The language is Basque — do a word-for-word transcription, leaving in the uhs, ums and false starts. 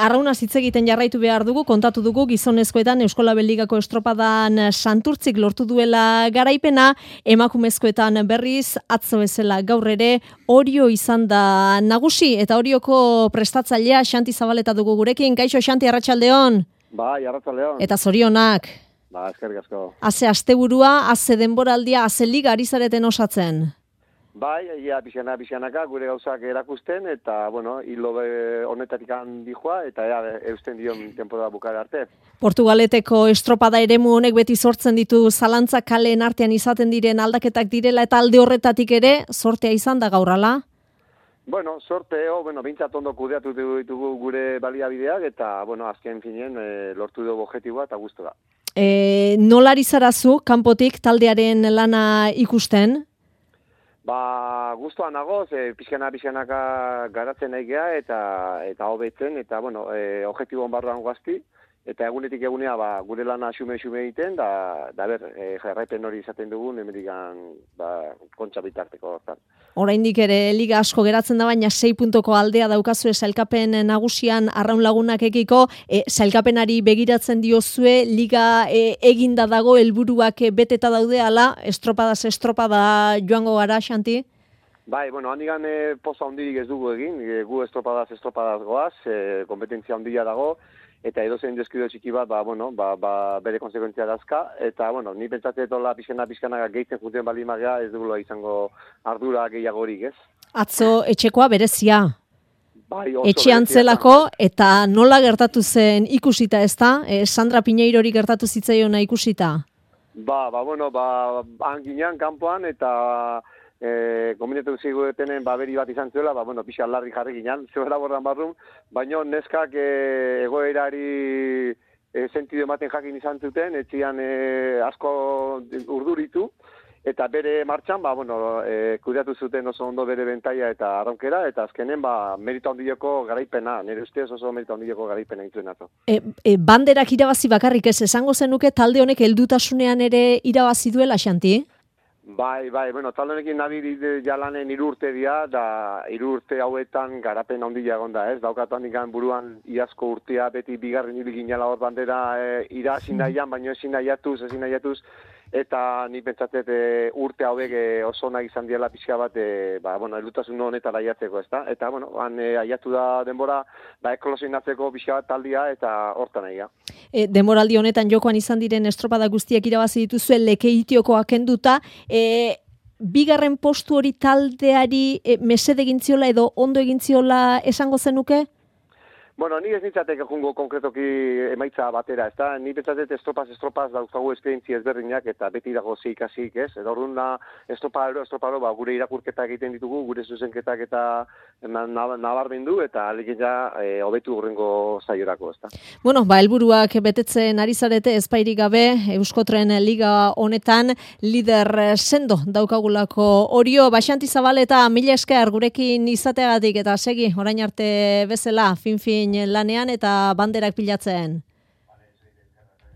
arraunaz hitz egiten jarraitu behar dugu, kontatu dugu gizonezkoetan Euskolabel Ligako estropadan Santurtzik lortu duela garaipena, emakumezkoetan berriz atzo bezala gaur ere Orio izan da nagusi, eta Orioko prestatzailea Xanti Zabaleta dugu gurekin. Kaixo Xanti, arratsaldeon. Bai, arratsaldeon. Eta zorionak. Ba, eskerrik asko. Haze asteburua, haze denboraldia, haze liga ari zareten osatzen. Bai, ia pixana, pixanaka gure gauzak erakusten, eta, bueno, hilo honetatik handi joa, eta ea, eusten dion temporada bukara arte. Portugaleteko estropada eremu honek beti sortzen ditu zalantzak kaleen artean izaten diren aldaketak direla, eta alde horretatik ere, sortea izan da gaurala? Bueno, sorteo, bueno, bintzat ondo kudeatu ditugu gure baliabideak, eta, bueno, azken finien e, lortu dugu objektiboa eta guztu da. E, nola ari zarazu, kanpotik taldearen lana ikusten? Ba, guztuan nagoz, e, pixkana pixkanaka garatzen nahi geha, eta eta hobetzen, eta, bueno, e, objektiboan barruan guazti, eta egunetik egunea, ba, gure lana xume-xume egiten, da, da ber, e, jarraipen hori izaten dugun, emerikan, ba, kontxa bitarteko hortan. Oraindik ere liga asko geratzen da, baina sei puntoko aldea daukazue sailkapen nagusian arraun lagunak ekiko, e, sailkapenari begiratzen diozue, liga e, eginda dago, helburuak beteta daude, ala, estropadaz estropada joango gara, Xanti? Bai, bueno, handigan e, poza hondirik ez dugu egin, e, gu estropadaz estropadaz goaz, e, kompetentzia hondia dago, eta edozein deskrido txiki bat, ba, bueno, ba, ba, bere konsekuentzia dazka, eta, bueno, ni pentsatzen etola pixena pixkana gehitzen juten bali magea, ez dugula izango ardura gehiagorik, ez? Atzo etxekoa berezia. Bai, etxean zelako, eta nola gertatu zen ikusita, ez da? E, Sandra Piñeirori gertatu zitzaiona ikusita? Ba, ba, bueno, ba, hanginean, kanpoan, eta E, kombinatu zigutenen baberi bat izan zuela, ba, bueno, pixa larri jarri ginen, zebera borran barrun, baina neskak e, egoerari e, sentido ematen jakin izan zuten, etxian e, asko urduritu, eta bere martxan, ba, bueno, e, kudeatu zuten oso ondo bere bentaia eta arronkera, eta azkenen, ba, merita handioko garaipena, nire ustez oso merita handioko garaipena intzuen atzo. E, e, banderak irabazi bakarrik ez, esango zenuke talde honek heldutasunean ere irabazi duela, Xanti? Bai, bai, bueno, talde honekin nabi jalanen hiru urte dira, da hiru urte hauetan garapen handia egon da, ez? Daukatu handikan buruan iazko urtea beti bigarren ibiginala hor bandera e, irazi nahian, baina ezin nahiatuz, ezin nahiatuz, eta ni pentsatet e, urte hauek e, oso nahi izan diela pixka bat, e, ba, bueno, elutasun honetara aiatzeko, ezta? Eta, bueno, han e, aiatu da denbora, ba, ekolosionatzeko pixka bat taldia, eta hortan nahi ga. E, denboraldi honetan jokoan izan diren estropada guztiak irabazi dituzue Lekeitiokoa kenduta, e, bigarren postu hori taldeari e, mesede egintziola edo ondo egintziola esango zenuke? Bueno, ni ez nintzateke jungo konkretoki emaitza batera, ez da? Ni pentsatet estropaz, estropaz daukagu esperientzia ezberdinak eta beti dago zeikasik, ez? Eta orduan da, estroparo, estroparo, ba, gure irakurketak egiten ditugu, gure zuzenketak eta nabarmendu, eta alekin ja, e, hobetu hurrengo zaiorako, ez da? Bueno, ba, helburuak betetzen ari zarete ezpairik gabe, Euskotren Liga honetan, lider sendo daukagulako Orio, ba, Xanti Zabaleta, mila esker gurekin izateagatik, eta segi, orain arte bezala, fin-fin lanean eta banderak pilatzen.